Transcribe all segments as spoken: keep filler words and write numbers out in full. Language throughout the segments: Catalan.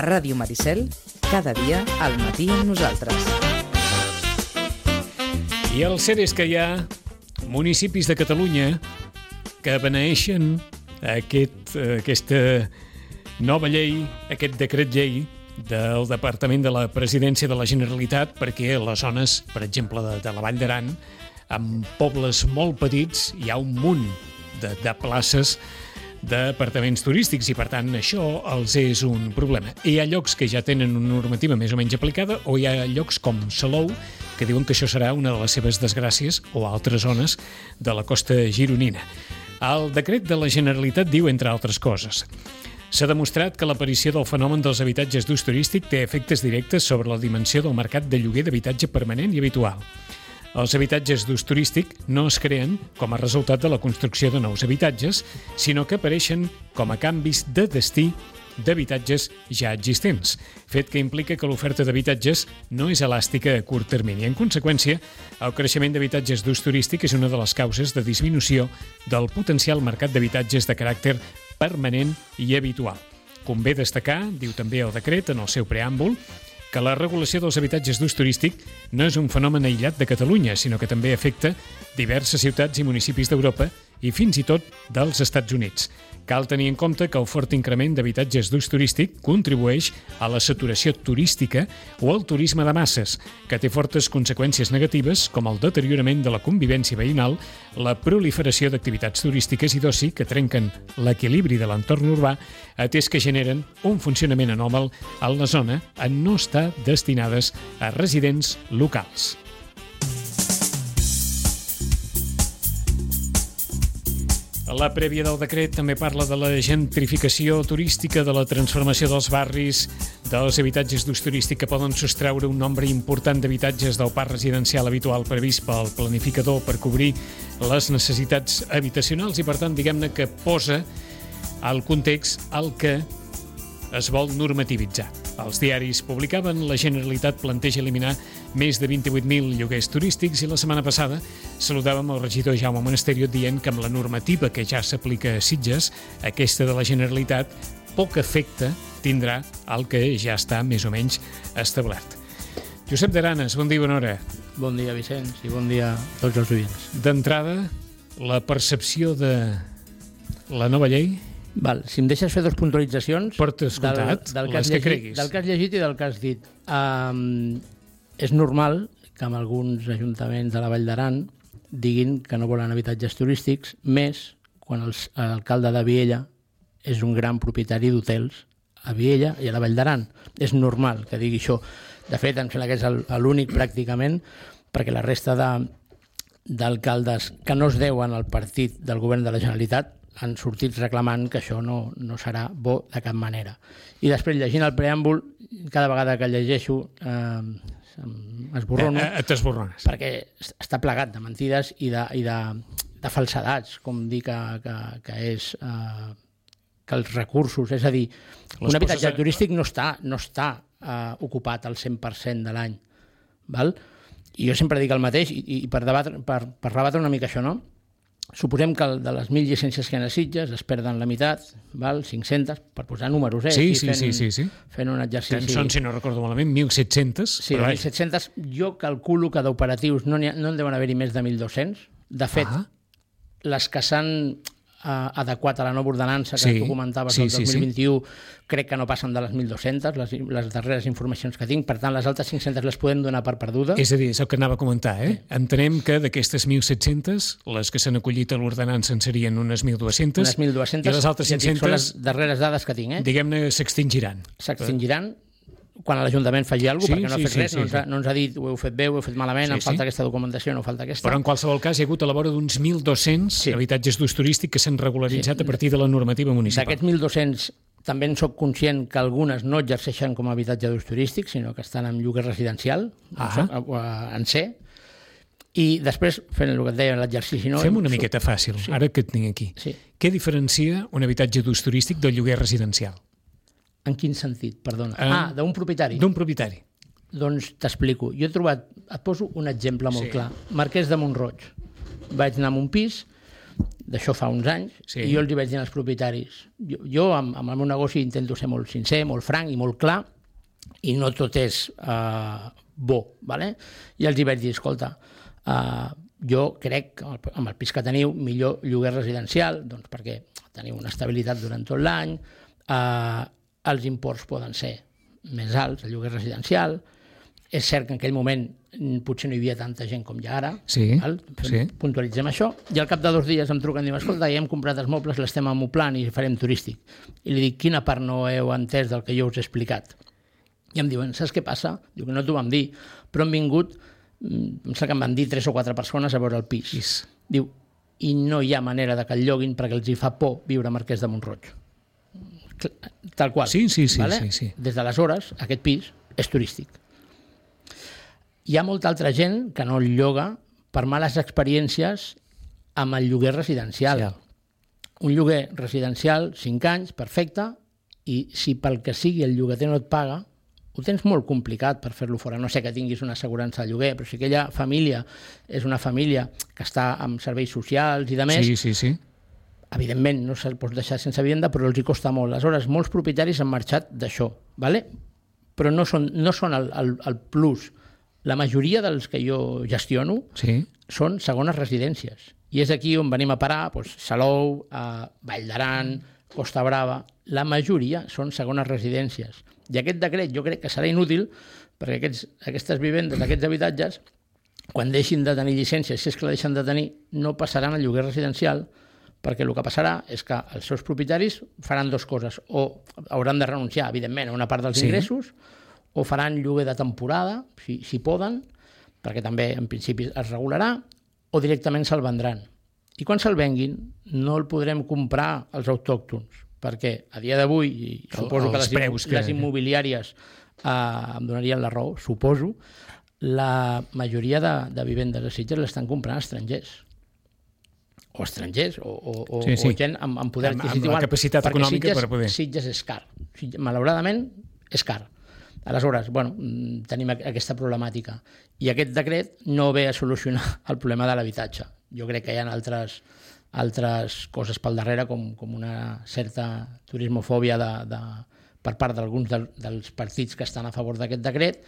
Ràdio Maricel, cada dia al matí amb nosaltres. I el cert és que hi ha municipis de Catalunya que beneeixen aquest, aquesta nova llei, aquest decret llei del Departament de la Presidència de la Generalitat, perquè a les zones, per exemple, de, de la Vall d'Aran, amb pobles molt petits, hi ha un munt de, de places d'apartaments turístics i, per tant, això els és un problema. Hi ha llocs que ja tenen una normativa més o menys aplicada, o hi ha llocs com Salou que diuen que això serà una de les seves desgràcies, o altres zones de la costa gironina. El decret de la Generalitat diu, entre altres coses, s'ha demostrat que l'aparició del fenomen dels habitatges d'ús turístic té efectes directes sobre la dimensió del mercat de lloguer d'habitatge permanent i habitual. Els habitatges d'ús turístic no es creen com a resultat de la construcció de nous habitatges, sinó que apareixen com a canvis de destí d'habitatges ja existents, fet que implica que l'oferta d'habitatges no és elàstica a curt termini. En conseqüència, el creixement d'habitatges d'ús turístic és una de les causes de disminució del potencial mercat d'habitatges de caràcter permanent i habitual. Convé destacar, diu també el decret en el seu preàmbul, que la regulació dels habitatges d'ús turístic no és un fenomen aïllat de Catalunya, sinó que també afecta diverses ciutats i municipis d'Europa i fins i tot dels Estats Units. Cal tenir en compte que el fort increment d'habitatges d'ús turístic contribueix a la saturació turística o al turisme de masses, que té fortes conseqüències negatives com el deteriorament de la convivència veïnal, la proliferació d'activitats turístiques i d'oci que trenquen l'equilibri de l'entorn urbà, atès que generen un funcionament anòmal en la zona en no estar destinades a residents locals. La prèvia del decret també parla de la gentrificació turística, de la transformació dels barris, dels habitatges d'ús turístic que poden sostreure un nombre important d'habitatges del parc residencial habitual previst pel planificador per cobrir les necessitats habitacionals i, per tant, diguem-ne que posa al context el que es vol normativitzar. Els diaris publicaven, la Generalitat planteja eliminar més de vint-i-vuit mil lloguers turístics i la setmana passada saludàvem el regidor Jaume Monasterio dient que amb la normativa que ja s'aplica a Sitges, aquesta de la Generalitat, poc efecte tindrà el que ja està més o menys establert. Josep d'Aranes, bon dia i bona hora. Bon dia, Vicenç, i bon dia a tots els oients. D'entrada, la percepció de la nova llei... Val, si em deixes fer dues puntualitzacions Portes comptat, del, del les que llegit, creguis. Del que has llegit i del que has dit. Um, és normal que en alguns ajuntaments de la Vall d'Aran diguin que no volen habitatges turístics, més quan l'alcalde de Viella és un gran propietari d'hotels a Viella i a la Vall d'Aran. És normal que digui això. De fet, em sembla que és l'únic pràcticament, perquè la resta de, d'alcaldes que no es deuen al partit del govern de la Generalitat han sortit reclamant que això no, no serà bo de cap manera. I després, llegint el preàmbul, cada vegada que llegeixo eh, esborrono, eh, eh, t'esborrones. Perquè està plegat de mentides i de, i de, de falsedats, com dir que, que, que és... Eh, que els recursos, és a dir, un habitatge turístic no està, no està eh, ocupat al cent per cent de l'any. Val? I jo sempre dic el mateix, i, i per, debatre, per, per rebatre una mica això, no? Suposem que de les mil llicències que hi ha a Sitges es perden la meitat, val? cinc-centes, per posar números, eh? Sí, sí, fent, sí, sí, sí. Fent un exercici... Que en són, si no recordo malament, mil set-cents. Sí, mil set-cents. Jo calculo que d'operatius no, ha, no en deuen haver-hi més de mil dos-cents. De fet, ah. les que s'han eh, adequat a la nova ordenança que sí, tu comentaves sí, el dos mil vint-i-u, sí, sí. crec que no passen de les mil dos-cents, les, les darreres informacions que tinc. Per tant, les altres cinc-centes les podem donar per perdudes. És a dir, és el que anava a comentar, eh? Sí. Entenem que d'aquestes mil set-cents, les que s'han acollit a l'ordenança en serien unes mil dues-centes. Unes mil dues-centes. I les altres cinc-centes... Són les darreres dades que tinc, eh? Diguem-ne, s'extingiran. S'extingiran quan l'Ajuntament faci alguna cosa, sí, perquè no ha sí, fet sí, res, sí, no, ens ha, sí. no ens ha dit ho heu fet bé, ho heu fet malament, sí, em falta sí. aquesta documentació, no falta aquesta. Però en qualsevol cas hi ha hagut a la vora d'uns mil dos-cents sí. habitatges d'ús turístic que s'han regularitzat sí. a partir de la normativa municipal. D'aquests mil dos-cents també en soc conscient que algunes no exerceixen com a habitatge d'ús turístic, sinó que estan en lloguer residencial, ah. en C. I després, fent el que et deia, l'exercici... No, Fem una miqueta fàcil, sí. ara que et tinc aquí. Sí. Què diferencia un habitatge d'ús turístic del lloguer residencial? En quin sentit, perdona? Uh, ah, d'un propietari. D'un propietari. Doncs t'explico. Jo he trobat, et poso un exemple molt sí. clar. Marquès de Mont-roig. Vaig anar a un pis d'això fa uns anys, Sí. i jo els hi vaig dir als propietaris. Jo, jo amb, amb el meu negoci intento ser molt sincer, molt franc i molt clar, i no tot és uh, bo, ¿vale? I els hi vaig dir, escolta, uh, jo crec que amb el pis que teniu, millor lloguer residencial, doncs perquè teniu una estabilitat durant tot l'any, eh, els imports poden ser més alts, el lloguer residencial. És cert que en aquell moment potser no hi havia tanta gent com hi ha ara, Sí, val? sí. Puntualitzem això, i al cap de dos dies em truquen i diuen, escolta, ja hem comprat els mobles, l'estem amoplant i farem turístic. I li dic, quina part no heu entès del que jo us he explicat? I em diuen, saps què passa? Diu que no t'ho vam dir, però han vingut, em sembla que em van dir tres o quatre persones a veure el pis. Pis. Diu, i no hi ha manera de que el lloguin perquè els hi fa por viure a Marquès de Mont-roig. Tal qual. Sí, sí, sí, vale? sí, sí. Des d'aleshores, aquest pis és turístic. Hi ha molta altra gent que no el lloga per males experiències amb el lloguer residencial. Sí. Un lloguer residencial, cinc anys, perfecte, i si pel que sigui el llogater no et paga, ho tens molt complicat per fer-lo fora. No sé que tinguis una assegurança de lloguer, però si aquella família és una família que està amb serveis socials i de més, Sí, sí, sí. evidentment no se'l pots deixar sense vivenda, però els hi costa molt. Aleshores, molts propietaris han marxat d'això, ¿vale? Però no són, no són el, el, el plus. La majoria dels que jo gestiono Sí. són segones residències. I és aquí on venim a parar, doncs, Salou, eh, Vall d'Aran, Costa Brava. La majoria són segones residències. I aquest decret jo crec que serà inútil perquè aquests, aquestes vivendes, aquests habitatges, quan deixin de tenir llicència, si és que la deixen de tenir, no passaran al lloguer residencial, perquè el que passarà és que els seus propietaris faran dues coses, o hauran de renunciar, evidentment, a una part dels Sí. ingressos, o faran lloguer de temporada, si, si poden, perquè també en principi es regularà, o directament se'l vendran. I quan se'l venguin no el podrem comprar als autòctons, perquè a dia d'avui, i suposo Els que les, preus que- les immobiliàries eh, em donarien la raó, suposo, la majoria de, de vivendes de Sitges l'estan comprant estrangers. O estrangers, o, o, o, Sí, sí. o gent amb, amb poder Amb- amb adquisitiu. la alt, capacitat perquè econòmica Sitges, per poder. Sitges és car. Sitges, malauradament, és car. Aleshores, bueno, mm, tenim aqu- aquesta problemàtica. I aquest decret no ve a solucionar el problema de l'habitatge. Jo crec que hi ha altres, altres coses pel darrere, com, com una certa turismofòbia de, de, per part d'alguns del, dels partits que estan a favor d'aquest decret,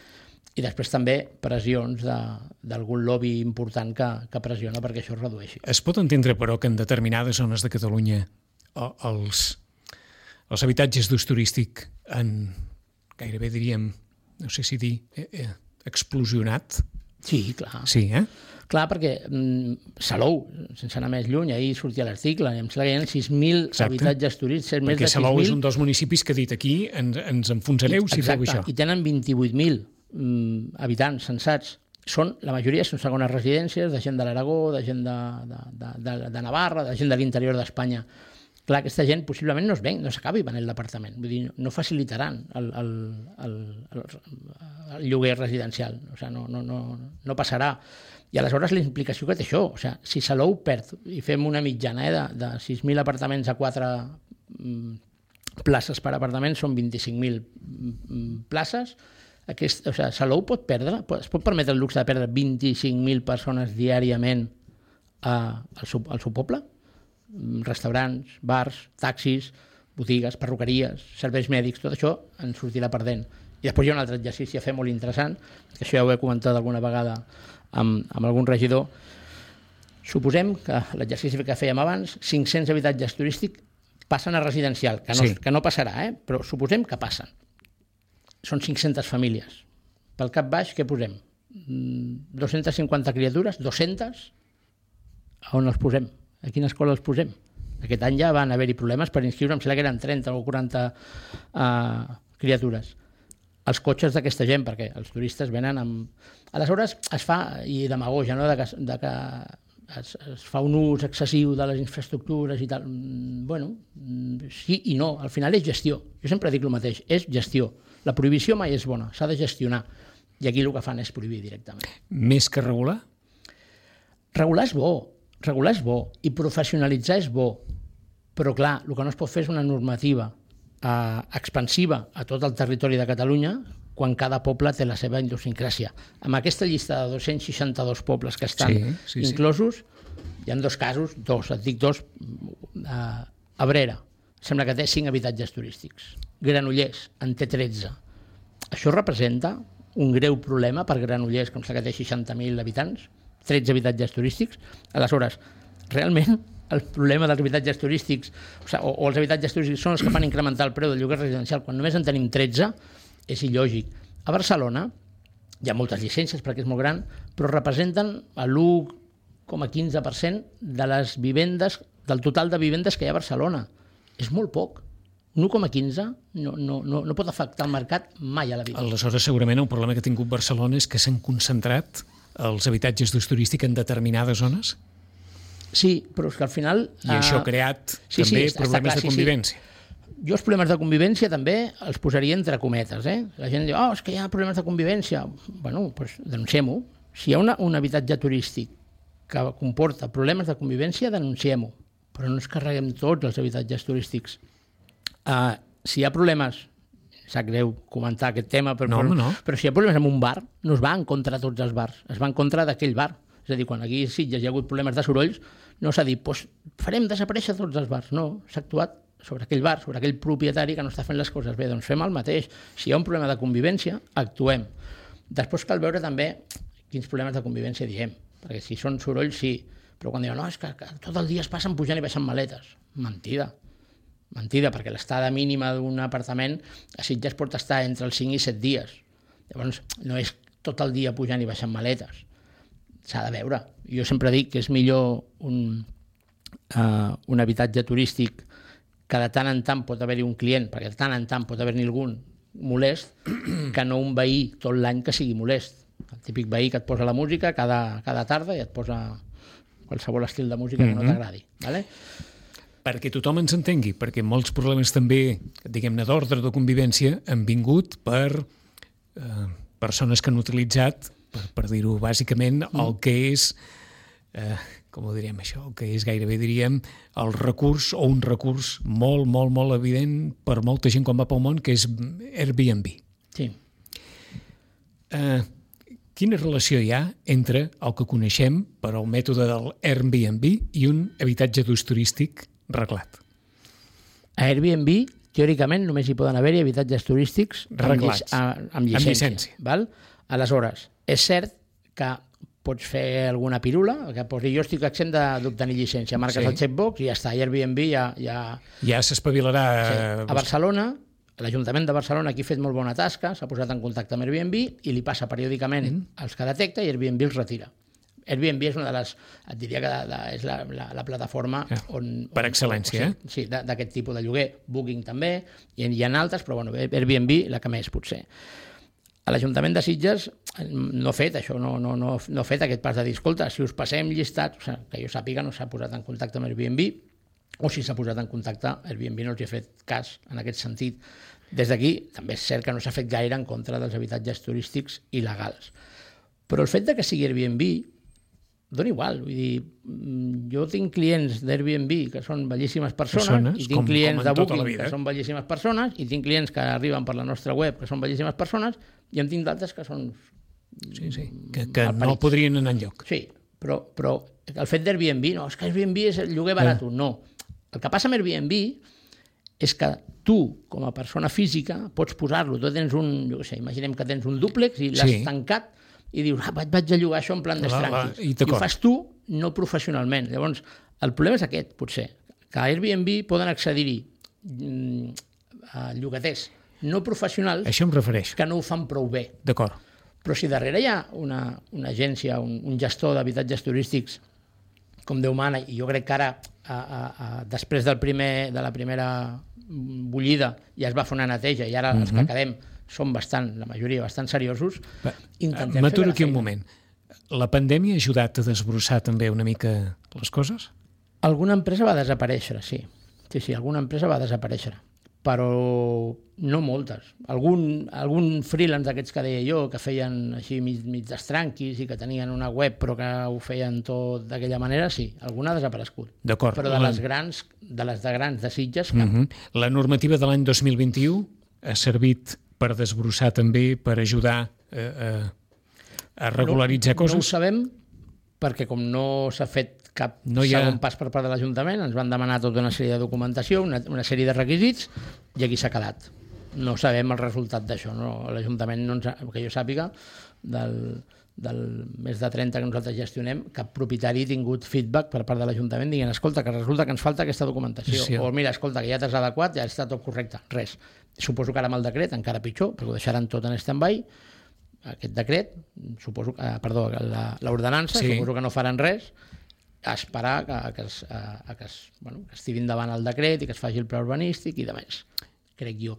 i després també pressions de- d'algun lobby important que, que pressiona perquè això es redueixi. Es pot entendre, però, que en determinades zones de Catalunya o- els, els habitatges d'ús turístic han, gairebé diríem, no sé si dir, eh, eh, explosionat? Sí, clar. Sí, eh? Clar, perquè mm, Salou, sense anar més lluny, ahir sortia l'article, em sembla que hi ha sis mil Exacte. habitatges turístics, més Perquè de Salou sis és mil. un dels municipis que ha dit aquí ens, ens enfonsareu si feu això. I tenen vint-i-vuit mil mm, habitants censats. Són, la majoria són segones residències de gent de l'Aragó, de gent de, de, de, de, de Navarra, de gent de l'interior d'Espanya. Clar, aquesta gent possiblement no es ven, no s'acabi venent l'apartament. Vull dir, no facilitaran el, el, el, el, el lloguer residencial. O sigui, no, no, no, no passarà. I aleshores la implicació que té això, o sigui, si Salou perd, i fem una mitjana eh, de, de sis mil apartaments a quatre mm, places per apartament, són vint-i-cinc mil mm, places, aquest, o sigui, Salou pot perdre, pot, es pot permetre el luxe de perdre vint-i-cinc mil persones diàriament a, al, seu, al seu poble? Restaurants, bars, taxis, botigues, perruqueries, serveis mèdics, tot això en sortirà perdent. I després hi ha un altre exercici a fer molt interessant, que això ja ho he comentat alguna vegada amb, amb algun regidor. Suposem que l'exercici que fèiem abans, cinc-cents habitatges turístics passen a residencial, que no, Sí. que no passarà, eh? Però suposem que passen. Són cinc-centes famílies. Pel cap baix, què posem? dues-centes cinquanta criatures? dues-centes? A on els posem? A quina escola els posem? Aquest any ja van haver-hi problemes per inscriure, em sembla que eren trenta o quaranta uh, criatures. Els cotxes d'aquesta gent, perquè els turistes venen amb... Aleshores es fa, i demagogia, no? de que, de que es, es fa un ús excessiu de les infraestructures i tal. Bueno, sí i no, al final és gestió. Jo sempre dic el mateix, és gestió. La prohibició mai és bona, s'ha de gestionar. I aquí el que fan és prohibir directament. Més que regular? Regular és bo, regular és bo, i professionalitzar és bo, però clar, el que no es pot fer és una normativa eh, expansiva a tot el territori de Catalunya quan cada poble té la seva idiosincràsia. Amb aquesta llista de dos-cents seixanta-dos pobles que estan Sí, sí, sí. inclosos, Hi ha dos casos, dos, et dic dos, a Abrera, sembla que té cinc habitatges turístics. Granollers en té tretze. Això representa un greu problema per Granollers, com que té seixanta mil habitants, tretze habitatges turístics. Aleshores, realment, el problema dels habitatges turístics, o, sigui, o, o els habitatges turístics són els que fan incrementar el preu del lloguer residencial, quan només en tenim tretze, és il·lògic. A Barcelona hi ha moltes llicències perquè és molt gran, però representen l'u coma quinze per cent de les vivendes, del total de vivendes que hi ha a Barcelona. És molt poc. un u coma quinze no, no, no, no pot afectar el mercat mai a la vida. Aleshores, segurament el problema que ha tingut Barcelona és que s'han concentrat els habitatges d'ús turístic en determinades zones? Sí, però és que al final... I això ha creat sí, també sí, problemes clar, de convivència. Sí, sí. Jo els problemes de convivència també els posaria entre cometes. Eh? La gent diu, oh, és que hi ha problemes de convivència. Bueno, doncs denunciem-ho. Si hi ha una, un habitatge turístic que comporta problemes de convivència, denunciem-ho. Però no ens carreguem tots els habitatges turístics. Uh, si hi ha problemes, sap greu comentar aquest tema, però, no, però, no. però si hi ha problemes en un bar, no es va en contra de tots els bars, es va en contra d'aquell bar. És a dir, quan aquí a Sitges hi ha hagut problemes de sorolls, no s'ha dit, doncs farem desaparèixer tots els bars. No, s'ha actuat sobre aquell bar, sobre aquell propietari que no està fent les coses bé. Doncs fem el mateix. Si hi ha un problema de convivència, actuem. Després cal veure també quins problemes de convivència diem, perquè si són sorolls, sí, però quan diuen, no, és que, que tot el dia es passen pujant i baixant maletes. Mentida. Mentida, perquè l'estada mínima d'un apartament a Sitges pot estar entre els cinc i set dies. Llavors, no és tot el dia pujant i baixant maletes. S'ha de veure. Jo sempre dic que és millor un, uh, un habitatge turístic que de tant en tant pot haver-hi un client, perquè de tant en tant pot haver-hi algun molest, que no un veí tot l'any que sigui molest. El típic veí que et posa la música cada, cada tarda i et posa qualsevol estil de música que no t'agradi. Vale? Perquè tothom ens entengui, perquè molts problemes també, diguem-ne, d'ordre de convivència han vingut per eh, persones que han utilitzat, per, per dir-ho bàsicament, el que és, eh, com ho diríem això, el que és gairebé, diríem, el recurs o un recurs molt, molt, molt evident per molta gent quan va pel món, que és Airbnb. Sí. Eh, quina relació hi ha entre el que coneixem per al mètode del Airbnb i un habitatge d'ús turístic reglat? A Airbnb, teòricament, només hi poden haver-hi habitatges turístics reglats, amb, amb llicència. Amb llicència. Val? Aleshores, és cert que pots fer alguna pirula, que posi jo estic exempt d'obtenir llicència, marques sí. el checkbox i ja està, Airbnb ja... Ja, ja s'espavilarà... Sí. A Barcelona, l'Ajuntament de Barcelona aquí ha fet molt bona tasca, s'ha posat en contacte amb Airbnb i li passa periòdicament mm. els que detecta i Airbnb els retira. Airbnb és una de les, et diria que de, de, és la, la, la plataforma ja, on... Per on, excel·lència, on, eh? Sí, d'aquest tipus de lloguer. Booking també, i hi ha altres, però bueno, Airbnb la que més potser. A l'Ajuntament de Sitges no ha fet això, no, no, no, no ha fet aquest pas de dir, escolta, si us passem llistats, o sigui, que jo sàpiga no s'ha posat en contacte amb Airbnb, o si s'ha posat en contacte, Airbnb no els ha fet cas en aquest sentit. Des d'aquí també és cert que no s'ha fet gaire en contra dels habitatges turístics il·legals. Però el fet de que sigui Airbnb dona igual, vull dir, jo tinc clients d'Airbnb que són bellíssimes persones, persones i tinc com, clients com de Booking que són bellíssimes persones, i tinc clients que arriben per la nostra web que són bellíssimes persones, i en tinc d'altres que són... Sí, sí, que, que no podrien anar enlloc. Sí, però, però el fet d'Airbnb, no, és que Airbnb és el lloguer barat, eh. no. El que passa amb Airbnb és que tu, com a persona física, pots posar-lo, tu tens un, jo què sé, imaginem que tens un dúplex i l'has sí. tancat, i dius, ah, vaig, vaig a llogar això en plan d'estranquis. I, I ho fas tu, no professionalment. Llavors, el problema és aquest, potser, que a Airbnb poden accedir-hi mm, a llogaters no professionals això em refereix. Que no ho fan prou bé. D'acord. Però si darrere hi ha una, una agència, un, un gestor d'habitatges turístics com Déu mana, i jo crec que ara, a, a, a, després del primer, de la primera bullida, ja es va fer una neteja, i ara uh-huh. els que quedem són bastant, la majoria, bastant seriosos. M'aturo aquí un moment. La pandèmia ha ajudat a desbrossar també una mica les coses? Alguna empresa va desaparèixer, sí. Sí, sí, alguna empresa va desaparèixer, però no moltes. Algun, algun freelance d'aquests que deia jo, que feien així mig, mig d'estranquis i que tenien una web però que ho feien tot d'aquella manera, sí, alguna ha desaparegut. D'acord. Però de les grans, de les de grans de Sitges, cap. Uh-huh. La normativa de l'any dos mil vint-i-u ha servit per desbrossar també, per ajudar a, a, a regularitzar no, coses? No ho sabem, perquè com no s'ha fet cap no hi ha... segon pas per part de l'Ajuntament, ens van demanar tota una sèrie de documentació, una, una sèrie de requisits, i aquí s'ha quedat. No sabem el resultat d'això, no? L'Ajuntament, no ens ha, que jo sàpiga, del, del més de trenta que nosaltres gestionem, cap propietari ha tingut feedback per part de l'Ajuntament dient, escolta, que resulta que ens falta aquesta documentació, sí, o mira, escolta, que ja t'has adequat, ja està tot correcte, res. Suposo que ara amb el decret encara pitjor, perquè ho deixaran tot en stand-by, aquest decret, suposo que, perdó, l'ordenança, sí. Suposo que no faran res, a esperar que, que, es, a, que, es, bueno, que estigui endavant el decret i que es faci el pla urbanístic i de més, crec jo.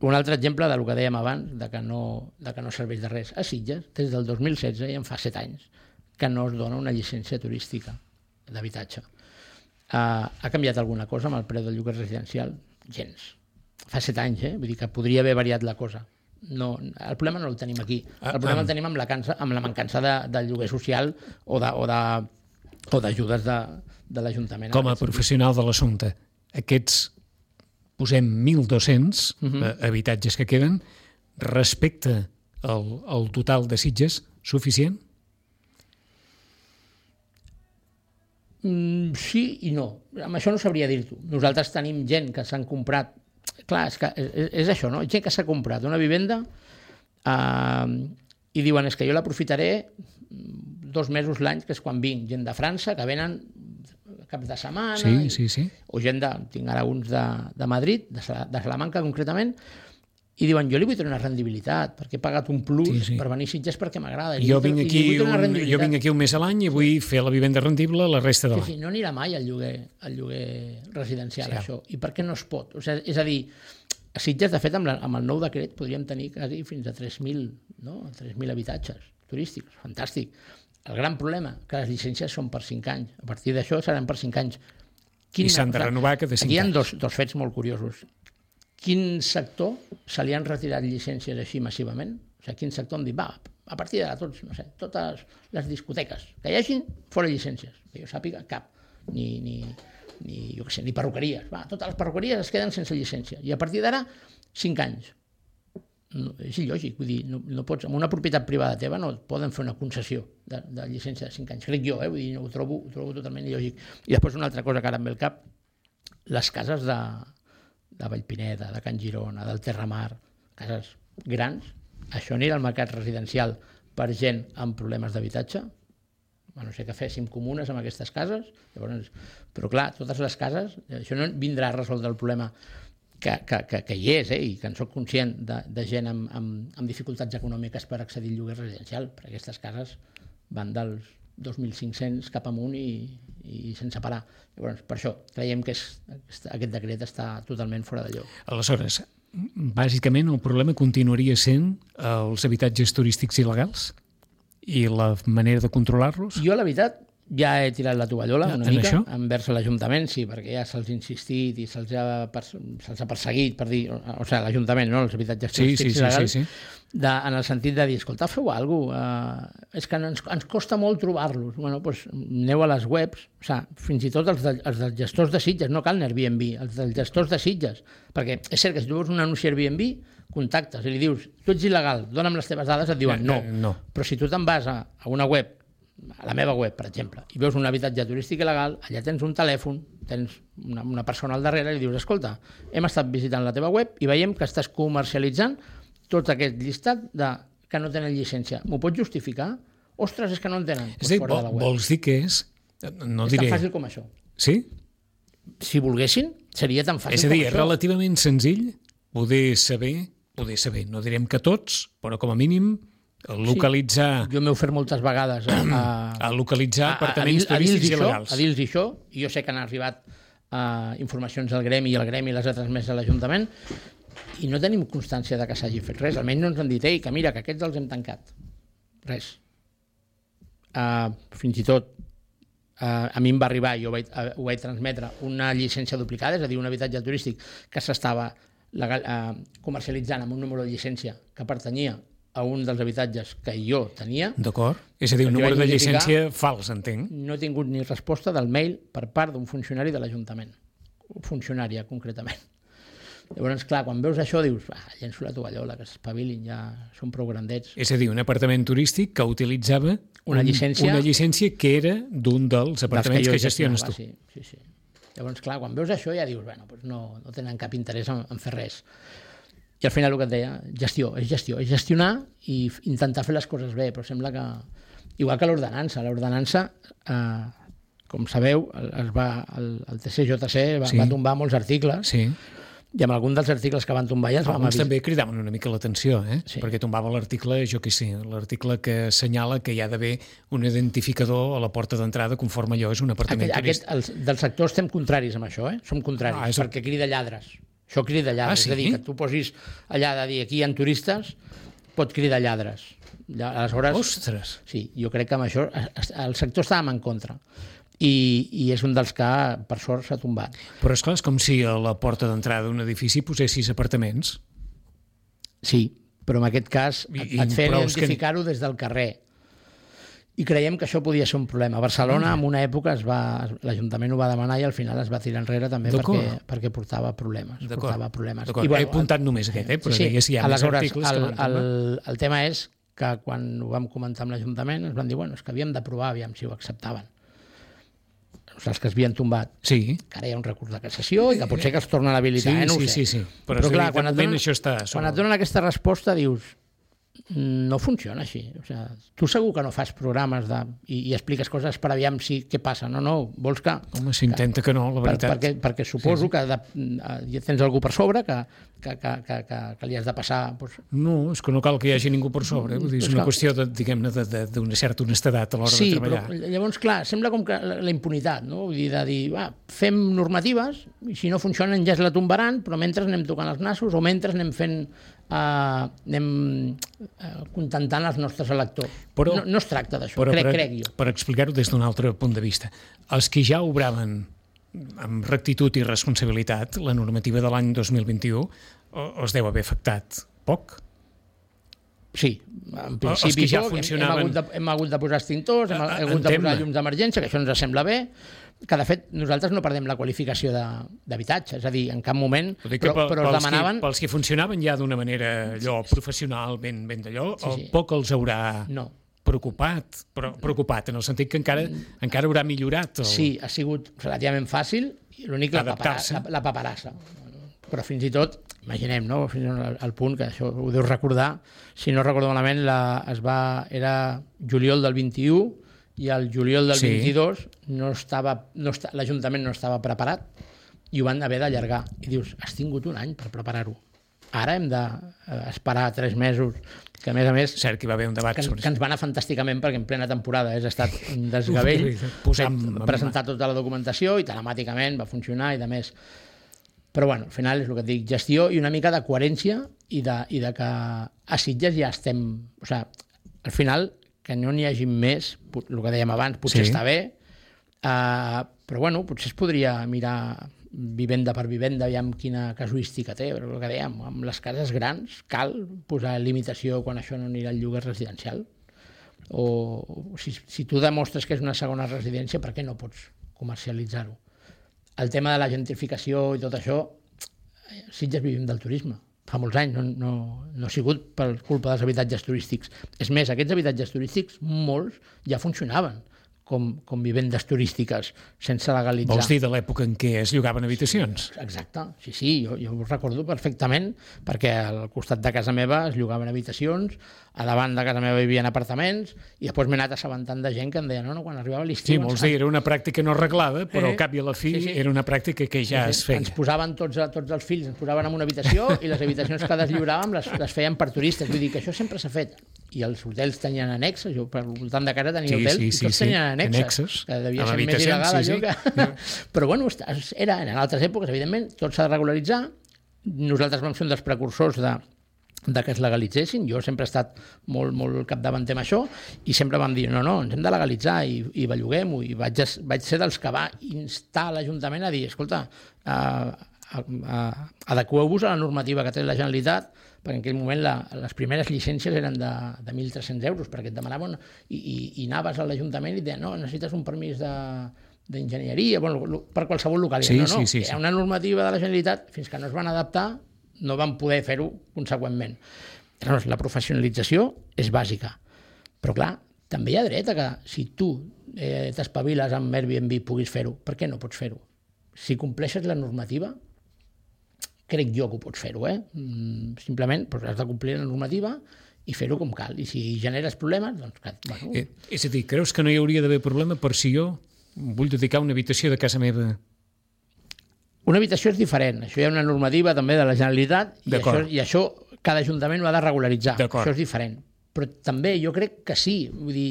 Un altre exemple del que dèiem abans, de que, no, de que no serveix de res. A Sitges, des del dos mil setze, i en fa set anys, que no es dona una llicència turística d'habitatge. Uh, ha canviat alguna cosa amb el preu del lloguer residencial? Gens. Fa set anys, eh? Vull dir que podria haver variat la cosa. No, el problema no el tenim aquí. El problema el tenim amb la, cansa, amb la mancança de, de lloguer social o de, o de, o d'ajudes de, de l'Ajuntament. Com a professional de l'assumpte, aquests, posem mil dos-cents uh-huh. habitatges que queden, respecte al, al total de Sitges, suficient? Mm, sí i no. Amb això no sabria dir-t'ho. Nosaltres tenim gent que s'han comprat. Clar, és, que és, és això, no? Gent que s'ha comprat una vivenda eh, i diuen, és que jo l'aprofitaré dos mesos l'any, que és quan vinc. Gent de França, que venen caps de setmana. Sí, i, sí, sí. O gent de, tinc ara uns de, de Madrid, de, de Salamanca concretament, i diuen, jo li vull treure una rendibilitat, perquè he pagat un plus sí, sí. per venir a Sitges perquè m'agrada. Jo, vinc aquí un, jo vinc aquí un mes a l'any i vull fer la vivenda rendible la resta de l'any. Sí, sí, no anirà mai al lloguer, al lloguer residencial, sí. Això. I per què no es pot? O sigui, és a dir, a Sitges, de fet, amb, la, amb el nou decret podríem tenir quasi fins a tres mil, no? tres mil habitatges turístics. Fantàstic. El gran problema, que les llicències són per cinc anys. A partir d'això seran per cinc anys. Quin, I s'han de renovar cada cinc anys. Aquí hi ha dos, dos fets molt curiosos. Quin sector se li han retirat llicències així massivament? O sigui, quin sector hem dit, va, a partir d'ara tots, no sé, totes les discoteques que hi hagin, fora llicències. Que jo sàpiga, cap. Ni, ni, ni, jo què sé, ni perruqueries. Va, totes les perruqueries es queden sense llicència. I a partir d'ara, cinc anys. No, és il·lògic, vull dir, no, no pots, amb una propietat privada teva no et poden fer una concessió de, de llicència de cinc anys. Crec jo, eh? Vull dir, no, ho, trobo, ho trobo totalment il·lògic. I després una altra cosa que ara em ve al cap, les cases de... de Vallpineda, de Can Girona, del Terramar, cases grans, això anirà al mercat residencial per gent amb problemes d'habitatge? A no sé què féssim comunes amb aquestes cases, llavors, però clar, totes les cases, això no vindrà a resoldre el problema que, que, que, que hi és, eh, i que en soc conscient de, de gent amb, amb, amb dificultats econòmiques per accedir al lloguer residencial, perquè aquestes cases van dels dos mil cinc-cents cap amunt i, i sense parar. Llavors, per això creiem que és, aquest decret està totalment fora de lloc. Aleshores, bàsicament el problema continuaria sent els habitatges turístics il·legals i la manera de controlar-los? Jo, la veritat, ja he tirat la tovallola una en mica això? envers l'Ajuntament, sí, perquè ja se'ls ha insistit i se'ls ha, se'ls ha perseguit, per dir, o sigui, l'Ajuntament, no?, els habitatges sí, turístics sí, il·legals, sí, sí. De, en el sentit de dir, escolta, feu alguna cosa, uh, és que ens, ens costa molt trobar-los. Bueno, doncs aneu a les webs, o sigui, fins i tot els, de, els dels gestors de Sitges, no cal Airbnb, els dels gestors de Sitges, perquè és cert que si tu veus un anunci Airbnb, contactes i li dius, tu ets il·legal, dona'm les teves dades, et diuen no. Eh, no. Però si tu te'n vas a, a una web, a la meva web, per exemple, i veus un habitatge turístic il·legal, allà tens un telèfon, tens una, una persona al darrere i li dius, escolta, hem estat visitant la teva web i veiem que estàs comercialitzant tot aquest llistat de que no tenen llicència. M'ho pots justificar? Ostres, és que no en tenen. És dir, vol, vols dir que és... No és diré... tan fàcil com això. Sí? Si volguessin, seria tan fàcil com això. És a dir, és relativament senzill poder saber, poder saber, no direm que tots, però com a mínim localitzar... Sí, jo m'he ofert moltes vegades a, a, a localitzar apartaments a, a, a turístics això, il·legals. A dir-los això, i jo sé que han arribat uh, informacions al gremi i el gremi les ha transmès a l'Ajuntament, i no tenim constància de que s'hagi fet res. Almenys no ens han dit, ei, que mira, que aquests els hem tancat. Res. Uh, fins i tot uh, a mi em va arribar, jo ho vaig, uh, ho vaig transmetre, una llicència duplicada, és a dir, un habitatge turístic que s'estava legal, uh, comercialitzant amb un número de llicència que pertanyia a un dels habitatges que jo tenia. D'acord. És a dir, un número de llicència fals, entenc. No he tingut ni resposta del mail per part d'un funcionari de l'Ajuntament. Funcionària, concretament. Llavors, clar, quan veus això dius, ah, llenço la tovallola, que s'espavilin, ja són prou grandets. És a dir, un apartament turístic que utilitzava una llicència... Una llicència que era d'un dels apartaments que, que gestiones tu. Sí, sí, sí. Llavors, clar, quan veus això ja dius, bueno, doncs no, no tenen cap interès en, en fer res. I al final el que et deia, gestió, és gestió, és gestionar i intentar fer les coses bé, però sembla que... Igual que l'ordenança, l'ordenança, eh, com sabeu, es va, el, el T C J C va, sí. va tombar molts articles, sí. i amb algun dels articles que van tombar ja ens vam Alguns avisar. també cridaven una mica l'atenció, eh? Sí. Perquè tombava l'article, jo què sé, l'article que assenyala que hi ha d'haver un identificador a la porta d'entrada conforme allò és un apartament aquest, turístic. Aquest, el, del sector estem contraris amb això, eh? Som contraris, ah, és... perquè crida lladres. Això crida lladres, ah, sí? És a dir, que tu posis allà de dir aquí hi ha turistes, pot cridar lladres. Aleshores, ostres! Sí, jo crec que amb això el sector estàvem en contra. I, i és un dels que, per sort, s'ha tombat. Però és clar, és com si a la porta d'entrada d'un edifici posessis apartaments. Sí, però en aquest cas I, et, et feien identificar-ho que... des del carrer. I creiem que això podia ser un problema. A Barcelona, en una època, es va, l'Ajuntament ho va demanar i al final es va tirar enrere també perquè, perquè portava problemes. Portava problemes. I, bueno, he apuntat només aquest, eh? Però sí, sí. Si hi ha més articles el, que van el, el tema és que quan ho vam comentar amb l'Ajuntament ens van dir, bueno, és que havíem de provar, aviam si ho acceptaven. Els que es havien tombat, sí. que ara hi ha un recurs de cassació i que potser que es tornen a habilitar, sí, eh? no sí, ho sé. Sí, sí, sí. Però, Però clar, quan, et donen, això està quan et donen aquesta resposta dius, no funciona així. O sigui, tu segur que no fas programes de, i, i expliques coses per aviam si què passa. No, no, vols que... Home, s'intenta que, que no, la veritat. Per, perquè, perquè suposo sí. que de, tens algú per sobre que, que, que, que, que, que li has de passar... Doncs... No, és que no cal que hi hagi ningú per sobre. Vull dir, és una qüestió de, diguem-ne, d'una certa honestedat a l'hora sí, de treballar. Sí, però llavors, clar, sembla com que la impunitat, no? Vull dir, de dir, va, fem normatives i si no funcionen ja es la tombaran, però mentre anem tocant els nassos o mentre anem fent... Uh, anem uh, contentant els nostres electors. Però, no, no es tracta d'això, crec, per, crec jo. Per explicar-ho des d'un altre punt de vista, els que ja obraven amb rectitud i responsabilitat la normativa de l'any dos mil vint-i-u els deu haver afectat poc? Sí, en principi ja poc, funcionaven... hem, hem, hagut de, hem hagut de posar extintors, hem, hem hagut de posar llums d'emergència, que això ens sembla bé, que de fet nosaltres no perdem la qualificació d'habitatge, és a dir, en cap moment, però, pel, però els demanaven... Que, pels que funcionaven ja d'una manera allò professional, ben, ben d'allò, sí, sí. poc els haurà no. preocupat, però preocupat, en el sentit que encara, encara haurà millorat. El... Sí, ha sigut relativament fàcil, l'únic la, la, la paperassa. Però fins i tot, imaginem, no? Fins al punt que això ho deus recordar, si no recordo malament, la, es va, era juliol del vint-i-u, i el juliol del sí. vint-i-dos no estava, no esta, l'Ajuntament no estava preparat i ho van haver d'allargar. I dius, has tingut un any per preparar-ho. Ara hem d'esperar tres mesos, que a més a més... Cert que hi va haver un debat que, sobre que ens va anar fantàsticament perquè en plena temporada és estat un desgavell, posem, presentar tota la documentació i telemàticament va funcionar i de més. Però bueno, al final és el que et dic, gestió i una mica de coherència i de, i de que a Sitges ja estem... O sigui, al final... que no n'hi hagi més, el que dèiem abans, potser sí. està bé, uh, però bueno, potser es podria mirar vivenda per vivenda, aviam quina casuística té, però el que dèiem, amb les cases grans cal posar limitació quan això no anirà al lloguer residencial. O si, si tu demostres que és una segona residència, per què no pots comercialitzar-ho? El tema de la gentrificació i tot això, Sitges vivim del turisme. Fa molts anys, no, no, no ha sigut per culpa dels habitatges turístics. És més, aquests habitatges turístics, molts, ja funcionaven com, com vivendes turístiques, sense legalitzar. Vols dir de l'època en què es llogaven habitacions? Exacte, sí, sí, jo, jo ho recordo perfectament, perquè al costat de casa meva es llogaven habitacions, a davant de casa meva hi havia apartaments, i després m'he anat assabentant de gent que em deia, no, no, quan arribava l'estiu... Sí, vols dir, era una pràctica no arreglada, però eh, al cap i a la fi sí, sí. era una pràctica que ja sí, sí. es feia. Ens posaven tots, tots els fills, ens posaven en una habitació i les habitacions que deslliuràvem les, les feien per turistes. Vull dir que això sempre s'ha fet. I els hotels tenien annexes, jo per voltant de casa tenia sí, hotels, sí, i tots sí, tenien sí. annexes, annexes, que devia ser més il·legal sí, allò sí. que... Però bueno, era, en altres èpoques, evidentment, tot s'ha de regularitzar. Nosaltres vam ser un dels precursors de, de que es legalitzessin. Jo sempre he estat molt, molt capdavanter amb això i sempre vam dir, no, no, ens hem de legalitzar i, i belluguem-ho. I vaig, vaig ser dels que va instar l'Ajuntament a dir, escolta, uh, adequeu-vos a la normativa que té la Generalitat, perquè en aquell moment la, les primeres llicències eren de, de mil tres-cents euros, perquè et demanaven, i, i, i anaves a l'Ajuntament i et deien, no, necessites un permís de, d'enginyeria, bueno, per qualsevol localitat. Sí, no, no, sí, sí, hi ha sí. una normativa de la Generalitat, fins que no es van adaptar, no van poder fer-ho conseqüentment. Llavors, la professionalització és bàsica, però clar, també hi ha dret a que si tu eh, t'espaviles amb Airbnb puguis fer-ho. Per què no pots fer-ho? Si compleixes la normativa, crec jo que ho pots fer-ho, eh? Simplement doncs has de complir la normativa i fer-ho com cal. I si generes problemes, doncs... Bueno. Eh, és a dir, creus que no hi hauria d'haver problema per si jo vull dedicar una habitació de casa meva? Una habitació és diferent. Això hi ha una normativa també de la Generalitat i això, i això cada ajuntament ho ha de regularitzar. Això és diferent. Però també jo crec que sí. Vull dir,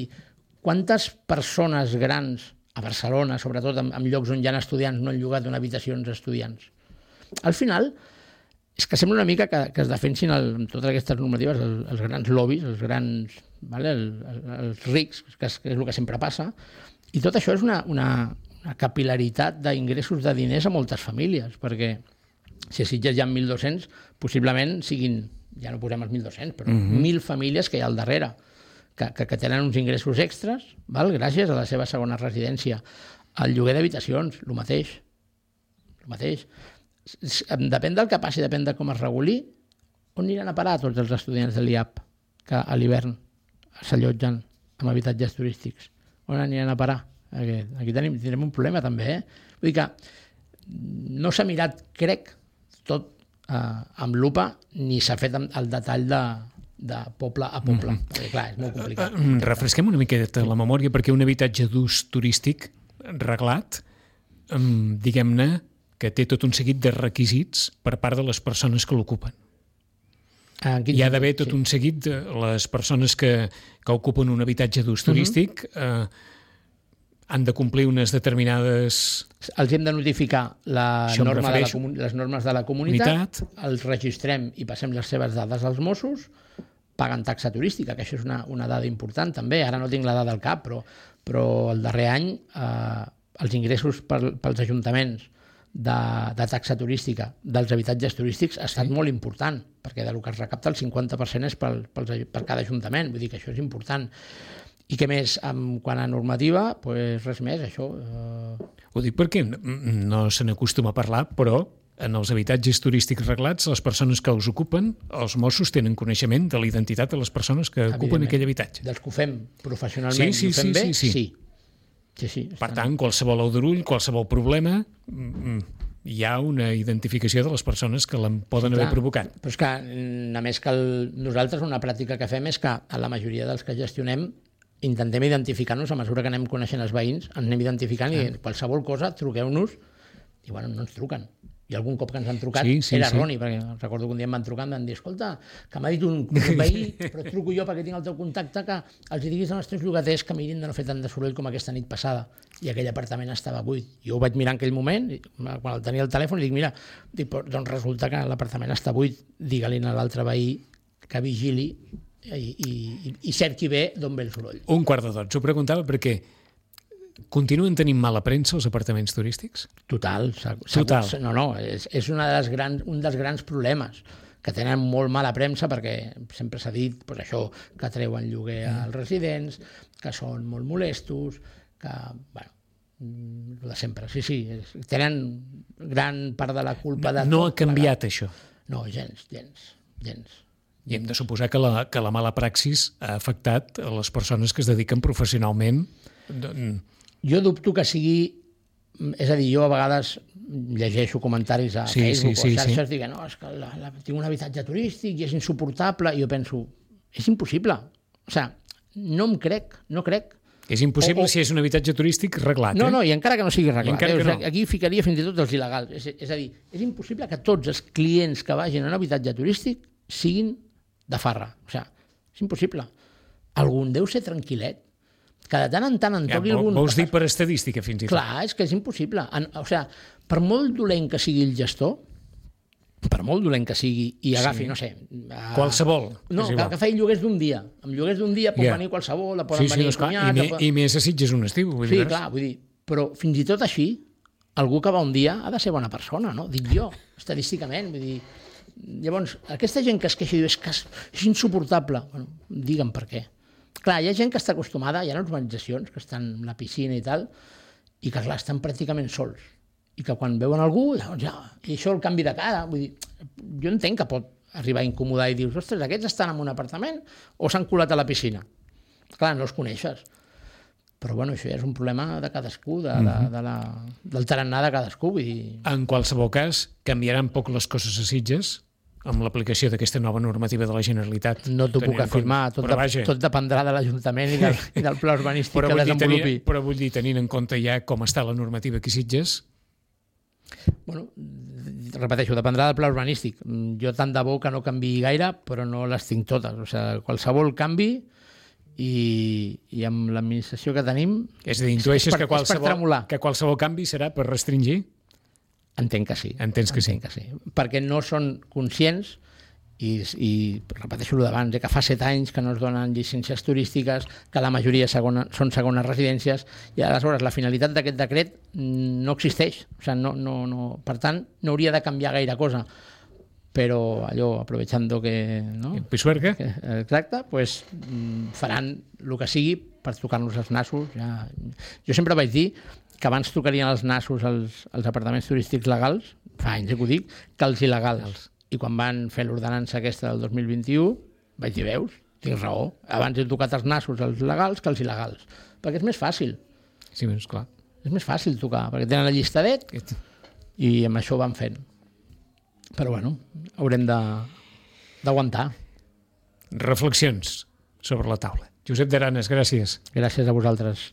quantes persones grans a Barcelona, sobretot en, en llocs on hi ha estudiants, no han llogat una habitació als estudiants? Al final, és que sembla una mica que, que es defensin el, amb totes aquestes normatives els, els grans lobbies, els grans, vale, el, el, els rics, que és, que és el que sempre passa, i tot això és una, una, una capil·laritat d'ingressos de diners a moltes famílies, perquè si a Sitges hi ha mil dos-cents, possiblement siguin, ja no posem els mil dos-cents, però mm-hmm. mil famílies que hi ha al darrere, que, que, que tenen uns ingressos extras, val, gràcies a la seva segona residència. El lloguer d'habitacions, el mateix. El mateix. Depèn del que passi, depèn de com es reguli, on aniran a parar tots els estudiants de l'I A P que a l'hivern s'allotgen en habitatges turístics? On aniran a parar? Aquí, aquí tenim, tenim un problema també, eh? Vull dir que no s'ha mirat, crec, tot eh, amb lupa, ni s'ha fet el detall de, de poble a poble. Mm-hmm. Perquè, clar, és molt complicat. Refresquem una miqueta la memòria, perquè un habitatge d'ús turístic reglat, diguem-ne, que té tot un seguit de requisits per part de les persones que l'ocupen. Ah, hi ha d'haver tot sí. un seguit de les persones que, que ocupen un habitatge d'ús turístic, uh-huh. eh, han de complir unes determinades... Els hem de notificar la norma de la comun... les normes de la comunitat, unitat. Els registrem i passem les seves dades als Mossos, paguen taxa turística, que això és una, una dada important també. Ara no tinc la dada al cap, però, però el darrer any eh, els ingressos per, pels ajuntaments de, de taxa turística dels habitatges turístics ha estat sí. molt important, perquè del que es recapta el cinquanta per cent és pel, pel, per cada ajuntament, vull dir que això és important. I què més? En quant a normativa, pues res més, això... Eh... Ho dic perquè no se n'acostuma a parlar, però en els habitatges turístics reglats, les persones que els ocupen, els Mossos tenen coneixement de la identitat de les persones que ocupen aquell habitatge. Dels que ho fem professionalment sí, sí, i ho fem sí, bé, sí. sí. sí. Sí, sí, per tant, qualsevol aldarull, qualsevol problema, hi ha una identificació de les persones que l'han poden sí, haver provocat. Però és que, a més que el, nosaltres una pràctica que fem és que a la majoria dels que gestionem intentem identificar-nos a mesura que anem coneixent els veïns, ens anem identificant ah. i qualsevol cosa, truqueu-nos, i bueno, no ens truquen. I algun cop que ens han trucat sí, sí, era erroni, sí. perquè recordo que un dia em van trucar i em van dir, escolta, que m'ha dit un, un veí, però et truco jo perquè tinc el teu contacte, que els diguis als teus llogaters que mirin de no fer tant de soroll com aquesta nit passada. I aquell apartament estava buit. Jo ho vaig mirar en aquell moment, quan el tenia al telèfon, i dic, mira, dic, doncs resulta que l'apartament està buit, digue-li a l'altre veí que vigili i, i, i cerqui bé d'on ve el soroll. Un quart de dotze, ho preguntava perquè continuen tenint mala premsa els apartaments turístics? Total. Total. No, no, és, és una de les grans, un dels grans problemes, que tenen molt mala premsa perquè sempre s'ha dit pues, això, que treuen lloguer als residents, que són molt molestos, que, bueno, el de sempre, sí, sí, és, tenen gran part de la culpa de no tot. No ha canviat plegat. Això? No, gens, gens, gens. I hem de suposar que la, que la mala praxis ha afectat a les persones que es dediquen professionalment. Jo dubto que sigui... És a dir, jo a vegades llegeixo comentaris a sí, Facebook sí, sí, o xarxes sí. dient no, és que la, la, tinc un habitatge turístic i és insuportable, i jo penso, és impossible. O sigui, no em crec, no crec. És impossible o, o... si és un habitatge turístic reglat. No, eh? no, i encara que no sigui reglat. Eh? No. Aquí ficaria fins i tot els il·legals. És, és a dir, és impossible que tots els clients que vagin a un habitatge turístic siguin de farra. O sigui, és impossible. Algun deu ser tranquil·let. Que de tant en tant en toqui ja, algun... Vols dir per estadística, fins i tot? Clar, és que és impossible. En, o sigui, per molt dolent que sigui el gestor, per molt dolent que sigui, i agafi, sí. no sé... A... Qualsevol. No, que, que faci lloguers d'un dia. Amb lloguers d'un dia pot yeah. venir qualsevol, poden sí, sí, venir no, cunyats... I, me, pot... I més a Sitges un estiu. Vull sí, dir, clar, vull dir... Però fins i tot així, algú que va un dia ha de ser bona persona, no? Dic jo, estadísticament. Vull dir... Llavors, aquesta gent que es queixa i diu és que és insuportable. Bueno, digue'm per què. Clar, hi ha gent que està acostumada, hi ha urbanitzacions que estan a la piscina i tal, i que, clar, estan pràcticament sols. I que quan veuen algú, doncs ja, i això el canvi de cara. Vull dir, jo entenc que pot arribar a incomodar i dius, ostres, aquests estan en un apartament o s'han colat a la piscina? Clar, no els coneixes. Però bueno, això ja és un problema de cadascú, de, de, de la, del tarannà de cadascú. Vull dir... En qualsevol cas, canviaran poc les coses a Sitges amb l'aplicació d'aquesta nova normativa de la Generalitat. No t'ho puc afirmar, tot, de, tot dependrà de l'Ajuntament i, del, i del pla urbanístic que desenvolupi. Tenir, però vull dir, tenint en compte ja com està la normativa aquí a Sitges... Bueno, repeteixo, dependrà del pla urbanístic. Jo tant de bo que no canviï gaire, però no les tinc totes. O sigui, qualsevol canvi i, i amb l'administració que tenim... És a dir, intueixes per, que, qualsevol, que qualsevol canvi serà per restringir? Entenc que sí. Entens que Entenc sí. que sí. Perquè no són conscients i, i repeteixo el d'abans, eh, que fa set anys que no es donen llicències turístiques, que la majoria segona, són segones residències, i aleshores la finalitat d'aquest decret no existeix. O sigui, no, no, no, per tant, no hauria de canviar gaire cosa. Però allò, aprovechando que... No? El pisuerga. Que, exacte, pues, faran el que sigui per tocar-nos els nassos. Ja. Jo sempre vaig dir que abans tocarien els nassos als, als apartaments turístics legals, fa anys que ho dic, que els il·legals. I quan van fer l'ordenança aquesta del dos mil vint-i-u, vaig dir, veus, tinc raó. Abans he tocat els nassos als legals que els il·legals. Perquè és més fàcil. Sí, doncs clar. És més fàcil tocar, perquè tenen el llistadet i amb això ho van fent. Però bueno, haurem d'aguantar. Reflexions sobre la taula. Josep d'Aranes, gràcies. Gràcies a vosaltres.